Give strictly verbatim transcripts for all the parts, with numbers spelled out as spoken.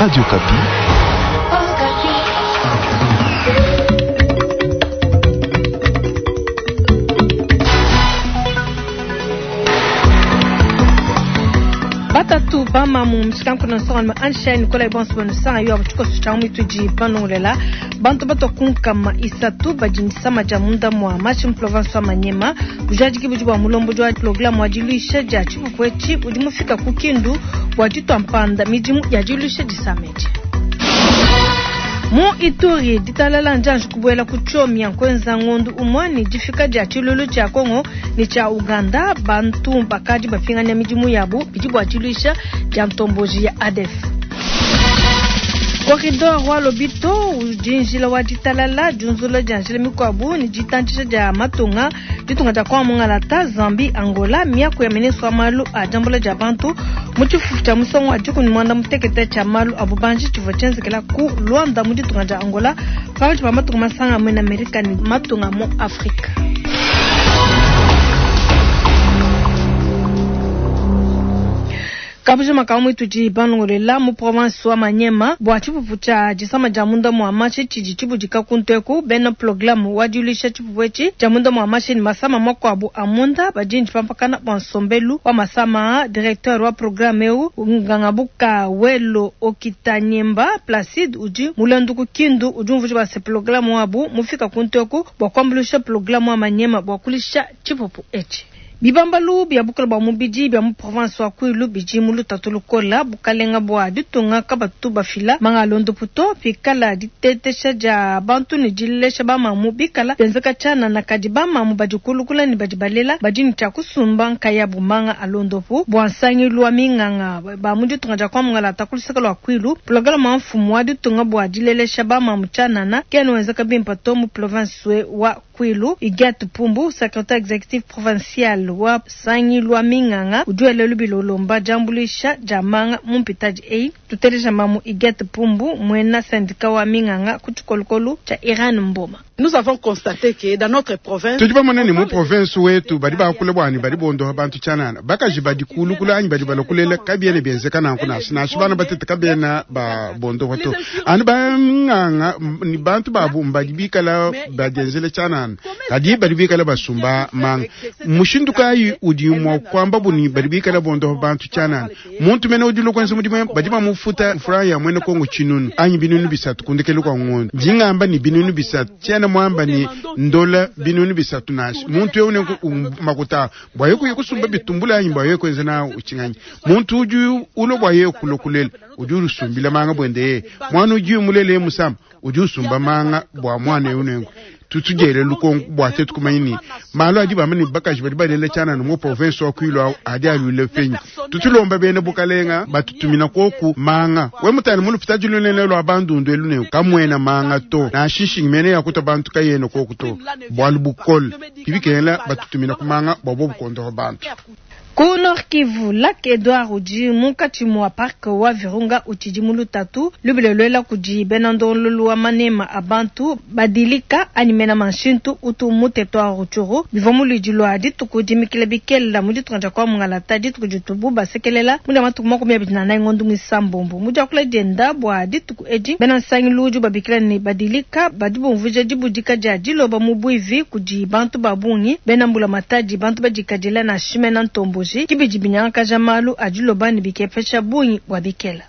Radio Okapi. Batatu bamamu mshikanku nsonga ansha Nicolas Bonso bonusanga yo abuchikoso cha mwituji panongolela bantu batokunkama isatu bajindisama ja munda mwa machi mu province wa Manyema bujadiki budi bwa mulombo jwa programu wa diluisha dia tshipupu etshi budi mufika ku Kindu bua ditua mpanda midimu ya diluisha disameji mu Ituri ditalala njanji kubuela ku Tchomia nkwenza ngondu umwe ni difika dia tshilulu tshia Kongo ni tshia Uganda bantu bakadi bapinganya midimu yabu bidi bua diluisha dia ntomboji ya ADF. Corridor wa Lobito udi njila wa ditalala diunzula dia njila mikuabu ni ditantshisha dia matunga ditunga dia kwa mungalata Zambie Angola miaku ya ministre wa malu a diambula dia bantu mu tshifufu tshia musongo wa dikumi mwanda mutekete tshia malu a bubanji tshivua tshienzekela ku Luanda mu ditunga dia Angola pakati pa matunga masanga amwe na Amerika ni matunga mu Afrika. Kabujo makamu itudi banongolela mu province wa Manyema bua tshipupu tshia disama dia munda mua mashi tshidi tshibudika kunteku bena programme wa diluisha tshipupu etshi dia munda mua mashi ni masama makuabu a munda badindi pampakana bua nsombelu wa masama directeur wa programme eu ngangabuka welo okitanyemba Placide udi mulendu Kindu udi umvuja bua se programme wabu mufika kunteku bua kuambuluisha programme wa Manyema bua kulisha tshipupu etshi bibambalu bia bukole bua mubidi bia mu province wa Kwilu bidi mu lutatu lukola bukalenga bua ditunga kabatu bafila manga londoputo pikala ditetesha dia bantu ne dilesha bamamu bikala benzeka tshianana kadi bamamu badi kulukula ne badi balela badi ne tshia kusumba nkayabu manga alondopu bua nsangilu wa minganga ba mu ditunga dia kwa mungalata ku luseke lua Kwilu programa wa mfumu wa ditunga bua dilelesha bamamu tshianana kena wenzeka bimpe to mu province wa Kwilu Igat Pumbu secrétaire exécutif provincial wa sangilwa minganga udi welelu bilolomba diambuluisha dia manga mu mpitadi eyi tuteleja mamu Igat Pumbu mwena syndicat wa minganga ku tshikolokolo tshia Iran Mboma. Nous avons constaté que dans notre province tudi bamona ne mu province wetu badi bakula bwani badi bondoha bantu tshianana bakaji badi kulukula anyi badi balokulela kabiene bienzeka nanku nashi nashi bana batete kabiena ba bondoha to anu banganga ni bantu babu mbadi bikala badienzele tshianana kadi badi bikala basumba manga mushindu kayi udi mua kuamba buni badi bikala bondoha bantu tshianana muntu mene udi lokwenza mudimu badi bamufuta franga ya mwene kongo tshinunu anyi binunu bisatu kundekelu kwa ngondo ndingamba ni binunu bisatu tshiana mwamba ni ndola binunu bisatu nashi muntu eu ne makuta bwa yeku yekusumba bitumbula anyi bwa yeku enza na uchinganyi muntu udi ulo bwa yeku lokulela udi usumbila manga bwende ye mwana udi mulele musama udi usumba manga bwa mwana eu nengo tutujele lukongo bwa tetu kumanya ni malo adi bamani bakaji badi balela tshianana mu province wa Kwilu adi alule fenyi tutulomba bene bukalenga batutumina koku manga we mutani mulupita dilunene lwa bandundu elune kamwena manga to na shishingi mene yakuta bantu kayene koku to bwalu bukole ibikela batutumina kumanga bwa bo bukondo bantu Ku Nord Kivu, Lac Edouard udi munkatshi mua parc wa Virunga utshidi mu lutatu lubile luela kudi bena ndongololu wa manema a bantu badilika anyi mena manshintu utu mu territoire Rutshuru bivua mu luidi lua dituku dimikila bikela mu ditunga dia kwa mungalata dituku ditubu basekelela mu dia matuku makumi abidi na anayi ngondo muisambombo mu diakula dienda bua dituku edi bena nsangilu udi babikila ne badilika badi bumvuija dibudika dia diloba mu buivi kudi bantu ba bungi bena mbula matadi bantu badikadila na shimena ntombo kibidi binyangakaja malu a diloba ne bikepesha bungi bua bikela.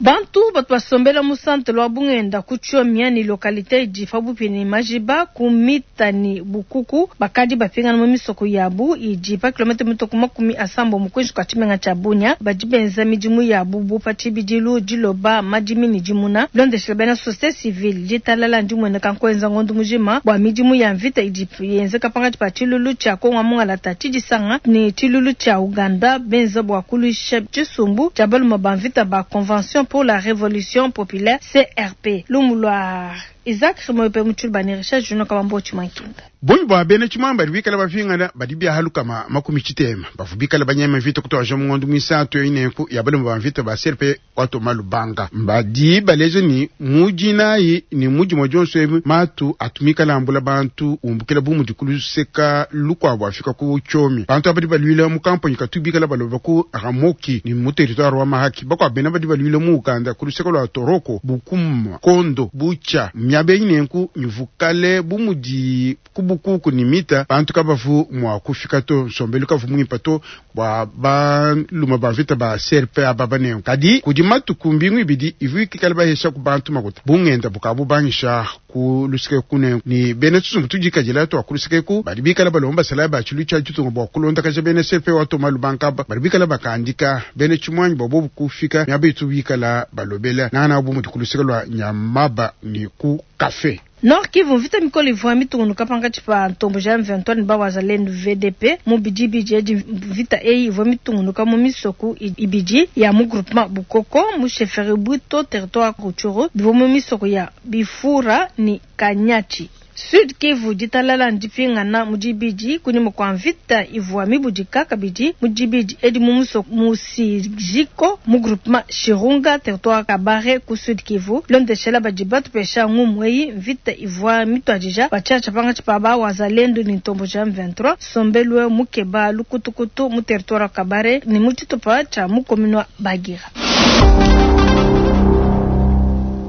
Bantu batu basombela mu centre lwa Bungenda ku Tchomia ni localité idi pabupi ni Majiba ku Mita ni Bukuku bakadi bapingana mu misoko yabu idi pa kilomètre mitoko makumi asambo mu kwinshi kwa tshimenga tshia Bunia badi benza midimu yabu bu pa tshibidilu diloba madimi ni dimuna bilondeshela bena société civile ditalala ndimueneka nkuenza ngondu mujima bua midimu ya mvita idi yenzeka pakati pa tshilulu tshia Kongo mungalata tshidisanga ni tshilulu tshia Uganda benza bua kuluisha tshisumbu tshia baluma ba mvita ba convention pour la révolution populaire C R P lumulwa Isaac Remoyope mu Tshiluba ne Richard Junior Kabambo Tshimankinda. Bungi bua bena tshimuangi badi bikala bapingana badi biahalukama makumi tshitema bavua bikala banyema mvita kutuaja mu ngondo muisatu eyi nenku ya balume ba mvita ba C R P watoma lubanga mbadi baleja ni mudinayi ni mudimue dionso ebi matu atumikala ambula bantu umbukila bu mudi kuluseka lukuabu afika ku Tchomi bantu abadi baluila mu kampanyi katubikala baloba ku Ramoki ni mu territoire wa Mahaki bakwa bena badi baluila mu Uganda kuluseka lwa Toroko Bukuma Kondo Bucha miabe nenku nyuvukale bu mudi kubukuku ni mita bantu kabavu mwa kufika to nsombelu kavu mwimpa to bwa baluma ba vita ba C R P ababa nenku kadi kudi matuku mbingu ibidi ivu ikikala bahesha ku bantu makuta bungenda bukabu bangisha ku luseke kune ni bene tsumbu tudikajila to ku luseke ku badi bikala balomba sala ba chilu cha tshitunga bwa kulonda kaja bene C R P wa to malubanka badi bikala bakandika bene chimwanyi bobo kufika nyabe bikala balobela nana bu mutu ku luseke lwa nyamaba ni ku kafe. Nord Kivu mvita mikolo ivua mitungunuka pankatshi pa ntombo ja M vingt-trois ne bawazalendo V D P mu bidi bidi edi mvita eyi ivua mitungunuka mu misoko ibidi ya mu groupement Bukoko mu chefferie Bwito territoire Rutshuru bivua mu misoko ya Bifura ni Kanyachi. Sud Kivu ditalala ndipingana mu dibidi kunyima kwa mvita ivua mibudika kabidi mu dibidi edi mu musoko mu Sijiko mu groupement Shirunga territoire Kabare ku Sud Kivu londeshela badi batupesha ngumu eyi mvita ivua mitwadija batshatsha pangatshi pa ba wazalendo ni ntombo ja M vingt-trois sombelwe mukeba lukutukutu mu territoire Kabare ni mu tshitupa tsha mu commune wa Bagira.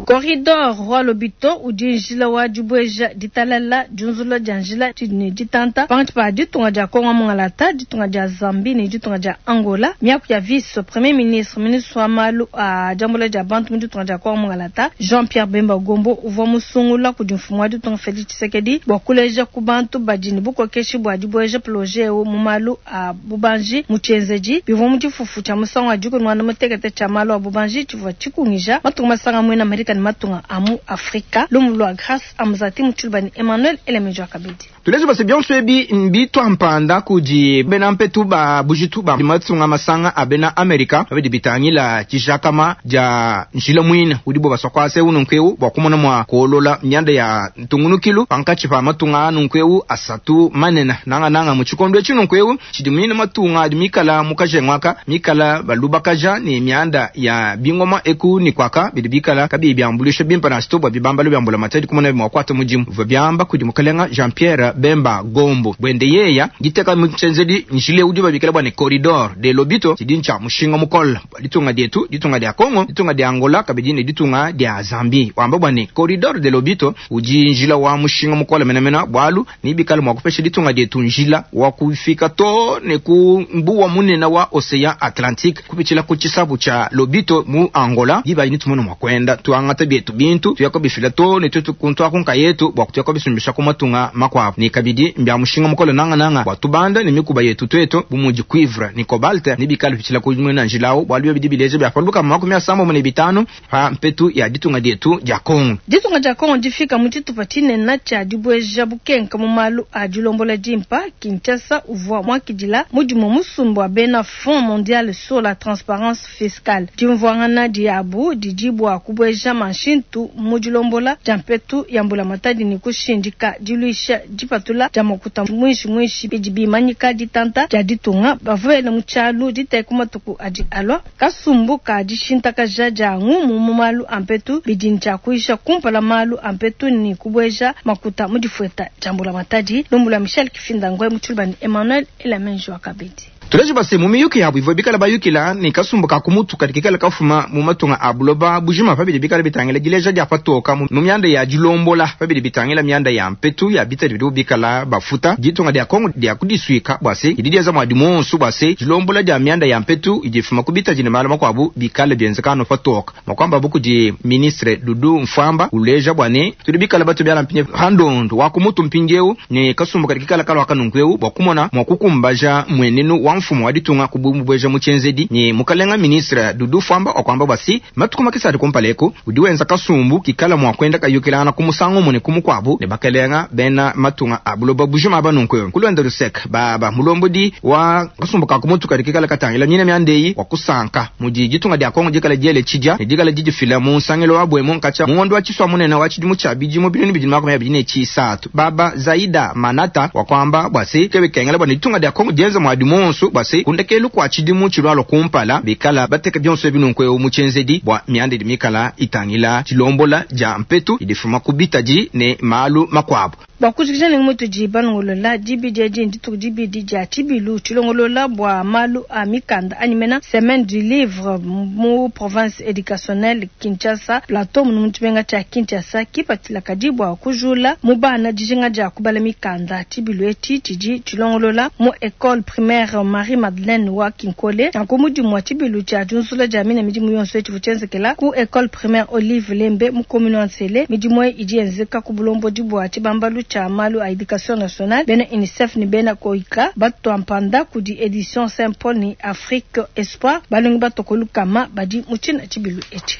Corridor Roi Lobito udi njila wa dibweja ditalala diunzula dia njila ne ditanta pangatshi pa ditunga dia Kongo Mungalata ditunga dia Zambie ne ditunga dia Angola miaku ya vice premier ministre ministre wa malu a diambula dia bantu mu ditunga dia Kongo Mungalata Jean-Pierre Bemba Gombo uvua musungula kudi mfumu wa ditunga Felix Tshisekedi bua kuleja ku bantu badi ne bukokeshi bua dibweja projet eu mu malu a bubanji mu tshienzedi bivua mu tshifufu tshia musangu wa dikumi muanda mutekete tshia malu a bubanji tshivua tshikungija matunga masanga muena Amerika ni matunga amu Afrika lumu lwa Grâce Amzati Mutshiluba ni Emmanuel Elemejo Kabidi. Tulezo basi bionso ebi mbitwa mpanda kudi bena mpetu ba bujitu ba matunga masanga abena Amerika abidi bitangila tshishakama ja njila mwina udi bo basokwase ununkeu bwa kumona mwa kolola myanda ya ntungunukilu pankatshi pa matunga anunkeu asatu manena nanga nanga mu tshikondo tshinunkeu tshidi mwina matunga adi mikala mukajengwaka mikala balubakaja ni myanda ya bingoma eku ni kwaka bidi bikala kabi byambulisha bimpa na stobwa bibamba byambula matadi kumona mwa kwata mujimu vwa byamba kudi mukalenga Jean Pierre Bemba Gombo bwende yeya giteka mchenzedi njile udi babikela bwane corridor de Lobito tidincha mushinga mukola ditunga dietu ditunga dia Kongo ditunga dia Angola kabidi ditunga dia Zambie wamba bwane corridor de Lobito uji njila wa mushinga mukola menamena bwalu ni bikala mwa kupesha ditunga dietu njila wa kufika to ne ku mbuwa munena wa Ocean Atlantique kupichila ku chisabu cha Lobito mu Angola diba ni tumono mwa kwenda tuangata bietu bintu tuyako bifila to ne tutu kuntwa kunka yetu bwa kutuyako bisumbisha kumatunga makwapo ni kabidi mbya mushinga mukolo nanga nanga bwa tubanda ni mikuba yetu tweto bumuji cuivre ni cobalt ni bikala pichila kumwe na njilao bwa byo bidibileje bya paluka makumi asamba mu bitano pa mpetu ya ditunga dietu ja Kongo ditunga ja Kongo difika mu tshitupa tshinene tsha dibweja bukenka mu malu a dilombola dimpa Kinshasa uvua mwakidila mudimu musumbu wa bena Fonds mondial sur la transparence fiscale dimvuangana diabu didibwa kubweja manshintu mu dilombola dia mpetu ya mbula matadi ni kushindika diluisha dipatula dia makuta mwishi mwishi bidi bimanyika ditanta dia ditunga bavuele mu tshialu diteka matuku adi alua kasumbu ka dishintakaja dia ngumu mu malu a mpetu bidi ntshia kumpala malu a mpetu ni kubweja makuta mu difueta dia mbula matadi lumbula Michel Kifinda Ngwe mu Tshiluba ni Emmanuel Elamenjo Akabedi. Tulejo base mu miyuki yabo ivyo bikala bayukila ni kasumbu ka kumutu katikala kafuma mu matunga abuloba bujima pabidi bikala bitangila dileja dia patoka mu myanda ya dilombola pabidi bitangila myanda ya mpetu ya bitadi bidu bikala bafuta ditunga dia Kongo dia kudiswika bwase ididiaza mwa dimonsu bwase dilombola dia myanda ya mpetu idifuma kubita jine malama kwabu bikala byenzekano patoka makwamba buku di ministre Dudu Mfamba uleja bwane tudi bikala batu byala mpinye handondo wa kumutu mpinjeu ni kasumbu katikala kalwa kanunkweu bwakumona mwakukumbaja mwenenu wa mfumu wa ditunga kububweja mu tshienzedi ne mukalenga ministre Doudou Fwamba wakwamba bwa si matuku makese adi kumpala eku udi wenza kasumbu kikala mua kwenda kayukilangana ku musangu umue ne ku mukuabu ne bakalenga bena matunga a buloba bujima aba nunku kulonda luseke baba mulombodi wa kasumbu ka kumutu kadi kikala katangila nyina miandeyi wa kusanka mudi ditunga dia Kongo dikala diele tshidia ne dikala didifila mu nsangilo wa bwemu nkatsha muondo wa tshiswa munene wa tshidimu tshia bidimu binunu bibidi makumi abidi ne tshisatu baba Zaida Manata wakwamba bwa se kebe kengela bwa ne ditunga dia Kongo dienza mwadi monso bwa se kundekelu kwa tshidimu tshilwalo kumpala bikala bateka bionso ebinunku ewu mu tshienzedi bwa mianda idi mikala itangila tshilombola dia mpetu idifuma ku bitadi ne malu makuabu. Bwa kujikija ne mutudi balongolola dibidi edi ndituku dibidi dia tshibilu tshilongolola bwa malu a mikanda anyi mena semaine du livre mu province éducationnelle Kinshasa plateau munu mutshimenga tshia Kinshasa kipatshila kadi bwa kujula mu bana dijinga dia kubala mikanda. Tshibilu etshi tshidi tshilongolola mu école primaire Marie Madeleine wa Kinkole nanku mudimu wa tshibilu tshia diunzula dia mina midimu yonso etshi tshienzekela ku école primaire Olive Lembe mu commune wa Nsele. Midimu eyi idi yenzeka ku bulombodi bua tshibambalu tshia malu a éducation nationale bena UNICEF ne bena KOICA batwampanda kudi édition Saint Paul ni Afrique Espoir balongi batokolu kama badi mu tshina tshibilu etshi.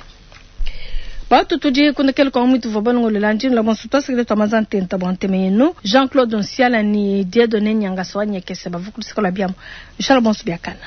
Batu tudi kundekela kwa mwitu vwa balongolola ndinu la bonso twasekele twa maza ntenta bwa nteme yenu Jean-Claude Nsiala ni Dieudonné Nyangasa wa Nyekese bavukulisikola biamo. Bishala bonso biakana.